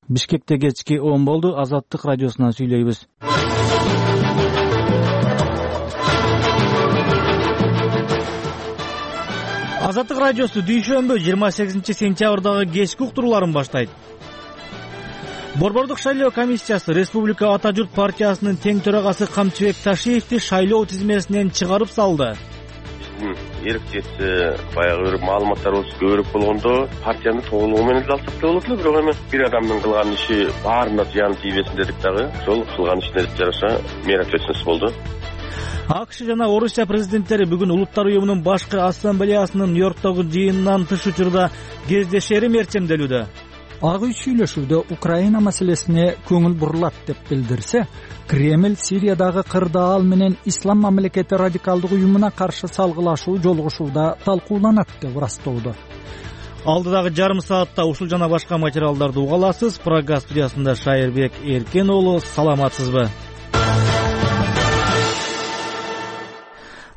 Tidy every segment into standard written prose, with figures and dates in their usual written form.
Бишкекте кечки 10 болду. Азаттык радиосунан сүйлөйбүз. Азаттык радиосу дүйшөмбү 28 сентябрдагы кечки уктурууларын баштайт. Борбордук шайлоо комиссиясы Республика Ата журт партиясынын тең төрагасы Камчыбек Ташиевди шайлоо тизмесинен чыгарып салды. Эркчеси баягы бир маалыматтарыбыз көбүрөөк болгондо партиянын толугу менен эле алсак да болот эле, бирок эми бир адамдын кылган иши баарына зыян тийбесин дедик дагы. Ошол кылган ишине жараша мера ответственность болду. АКШ жана Орусия президенттери бүгүн Улуттар уюмунун башкы ассамблеясынын Нью-Йорктогу жыйынынан тыш учурда кездешери мерчемделүүдө. Ак үй сүйлөшүүдө Украина маселесине көңүл бурулат деп билдирсе, Кремль Сириядагы кырдаал менен Ислам мамлекети радикалдык уюмуна каршы салгылашуу жолугушууда талкууланат деп ырастоодо. Алдыдагы жарым саатта ушул жана башка материалдарды уга аласыз. Программа студиясында Шайырбек Эркен уулу, саламатсызбы?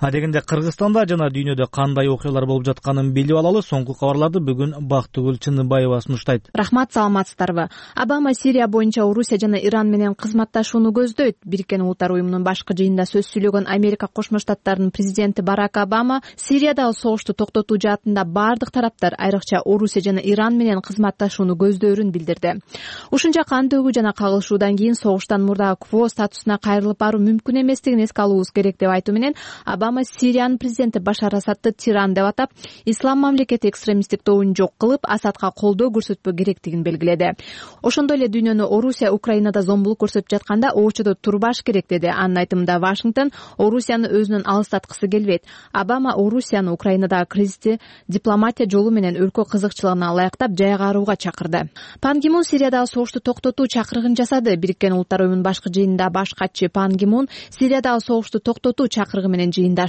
Адегенде Кыргызстанда жана дүйнөдө кандай окуялар болуп жатканын билип алалы. Соңку кабарларды бүгүн Бактыгүл Чыныбаева сунуштайт. Рахмат, саламатсыздарбы? Обама Сирия боюнча Орусия жана Иран менен кызматташууну көздөйт. Бириккен Улуттар уюмунун башкы жыйынында сөз сүйлөгөн Америка Кошмо Штаттарынын президенти Барак Обама Сириядагы согушту токтотуу жаатында бардык тараптар, айрыкча Орусия жана Иран менен кызматташууну көздөрүн билдирди. Ушунча кан төгүү жана кагылышуудан кийин согуштан мурдагы КВО статусуна кайрылып баруу мүмкүн эместигин эске алуубуз керек деп айтуу менен Обама Сириянын президенти Башар Асадты тиран деп атап, Ислам мамлекети экстремисттик тобун жок кылып, Асадка колдоо көрсөтпөө керектигин белгиледи. Ошондой эле дүйнөнү Орусия Украинада зомбулук көрсөтүп жатканда оочодо турбаш керек деди. Анын айтымында Вашингтон Орусияны өзүнөн алыстаткысы келбейт. Обама Орусияны Украинадагы кризисти дипломатия жолу менен өлкө кызыкчылыгына ылайыктап жайгаарууга чакырды. Пан Ги Мун Сириядагы согушту токтотуу чакырыгын жасады. Бириккен Улуттар уюмунун башкы жыйынында баш катчы Пан Ги Мун Сириядагы согушту токтотуу чакырыгы менен жыйындашты.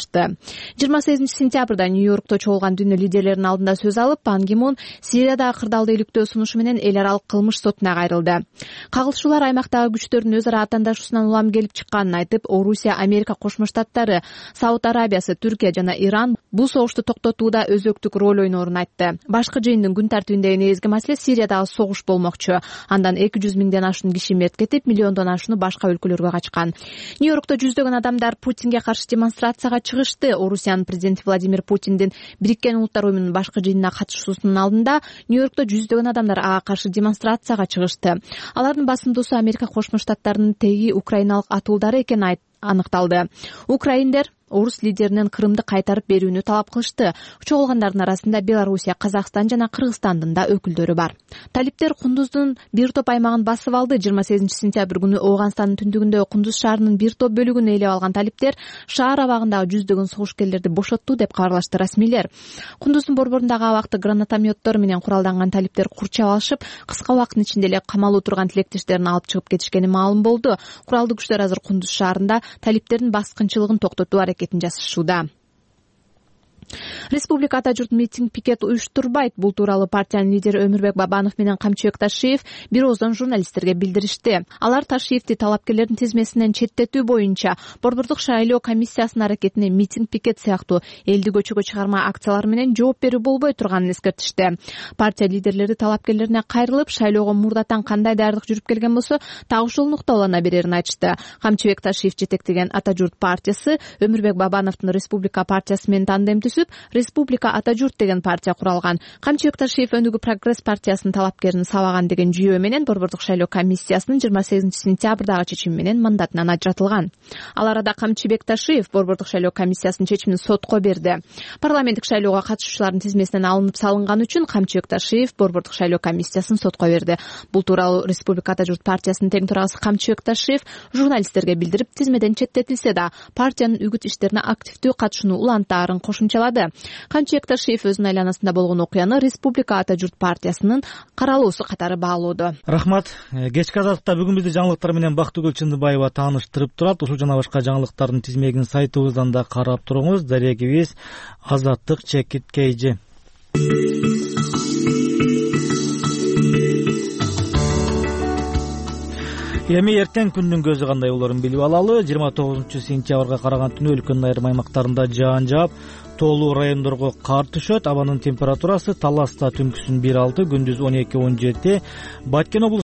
28 сентябрда Нью-Йоркто чогулган дүйнө лидерлеринин алдында сөз алып, Пан Ги Мун Сириядагы кырдаалды иликтөө сунушу менен эл аралык кылмыш сотуна кайрылды. Кагылышуулар аймактагы күчтөрдүн өз ара аттандашуусунан улам келип чыкканын айтып, Орусия, Америка Кошмо Штаттары, Сауд Арабиясы, Түркия жана Иран бул согушту токтотууда өзөктүк роль ойноорун айтты. Башкы жыйындын күн тартибиндеги негизги маселе Сириядагы согуш болмокчу. Андан 200 миңден ашуун киши мерт кетип, миллиондон ашууну башка өлкөлөргө качкан. Нью-Йоркто жүздөгөн адамдар Путинге каршы демонстрацияга чыгышты. Орусиянын президенти Владимир Путиндин Бириккен Улуттар уюмунун башкы жыйынына катышуусунун алдында Нью-Йоркто жүздөгөн адамдар ага каршы демонстрацияга чыгышты. Алардын басымдуусу Америка Кошмо Штаттарынын теги украиналык атуулдары экени аныкталды. Украиндер орус лидеринен Крымды кайтарып берүүнү талап кылышты. Чогулгандардын арасында Белоруссия, Казакстан жана Кыргызстандын да өкүлдөрү бар. Талиптер Кундуздун бир топ аймагын басып алды. 28 сентябрь күнү Ооганстандын түндүгүндө Кундуз шаарынын бир топ бөлүгүн ээлеп алган талиптер шаар абагындагы жүздөгөн согушкерлерди бошотту деп кабарлашты расмийлер. Кундуздун борборундагы абакты гранатометтор менен куралданган талиптер курчап алышып, кыска убакыттын ичинде эле камалуу турган тилектештерин алып чыгып кетишкени маалым болду. Куралдуу күчтөр азыр Кундуз шаарында талиптердин баскынчылыгын токтотуу аракетин жасашууда. Республика Ата журт митинг пикет уюштурбайт. Бул тууралуу партиянын лидери Өмүрбек Бабанов менен Камчыбек Ташиев бир ооздон журналисттерге билдиришти. Алар Ташиевди талапкерлердин тизмесинен четтетүү боюнча борбордук шайлоо комиссиясынын аракетине митинг пикет сыяктуу элди көчөгө чыгарма акциялар менен жооп берүү болбой турганын эскертишти. Партия лидерлери талапкерлерине кайрылып, шайлоого мурдатан кандай даярдык жүрүп келген болсо, так ошол нукталана берерин айтышты. Камчыбек Ташиев жетектеген Ата журт партиясы Өмүрбек Бабановдун Республика партиясы менен тандем түзүп, Республика Ата журт деген партия куралган. Камчыбек Ташиев Өнүгүү прогресс партиясынын талапкерин сабаган деген жүйөө менен борбордук шайлоо комиссиясынын 28 сентябрдагы чечими менен мандатынан ажыратылган. Ал арада Камчыбек Ташиев борбордук шайлоо комиссиясынын чечимин сотко берди. Парламенттик шайлоого катышуучулардын тизмесинен алынып салынган үчүн Камчыбек Ташиев борбордук шайлоо комиссиясын сотко берди. Бул тууралуу Республика Ата журт партиясынын тең төрагасы Камчыбек Ташиев журналисттерге билдирип, тизмеден четтетилсе да партиянын үгүт иштерине активдүү катышууну улантаарын кошумчалады. Камчыбек Ташиев өзүнүн айланасында болгон окуяны Республика Ата журт партиясынын каралуусу катары баалоодо. Рахмат. Кечки азаттыкта бүгүн бизди жаңылыктар менен Бактыгүл Чыныбаева тааныштырып турат. Ушул жана башка жаңылыктардын тизмегин сайтыбыздан да карап туруңуз. Дарегибиз Азаттык _KG. Эми эртең күндүн көзү кандай болорун билип алалы. 29 сентябрга караган түнү өлкөнүн айрым аймактарында жаан жаап, тоолуу райондорго кар түшөт. Абанын температурасы Таласта түнкүсүн 1-6, күндүз 12-17, Баткен